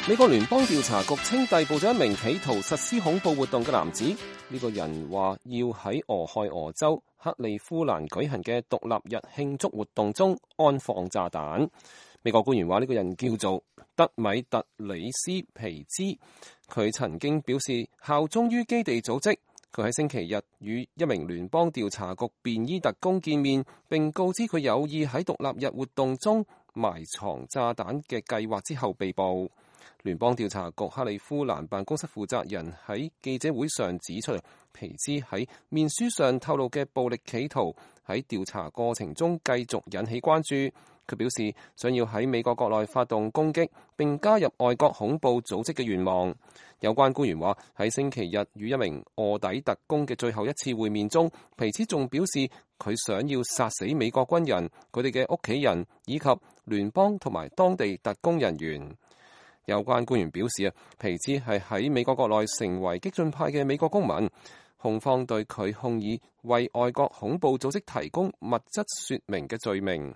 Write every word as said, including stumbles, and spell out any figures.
美國聯邦調查局稱逮捕咗一名企圖實施恐怖活動嘅男子，呢、這個人話要喺俄亥俄州克利夫蘭舉行嘅獨立日慶祝活動中安放炸彈。美國官員話呢個人叫做德米特里斯皮茲，佢曾經表示效忠於基地組織。佢喺星期日與一名聯邦調查局便衣特工見面，並告知佢有意喺獨立日活動中埋藏炸彈嘅計劃之後被捕。聯邦調查局克利夫蘭辦公室負責人喺記者會上指出，皮茲喺面書上透露嘅暴力企圖喺調查過程中繼續引起關注。佢表示想要喺美國國內發動攻擊並加入外國恐怖組織嘅願望。有關官員話喺星期日與一名臥底特工嘅最後一次會面中，皮茲仲表示佢想要殺死美國軍人、佢哋嘅屋企人以及聯邦同埋當地特工人員。有關官員表示啊，皮茲係喺美國國內成為激進派嘅美國公民，控方對佢控以為外國恐怖組織提供物質說明嘅罪名。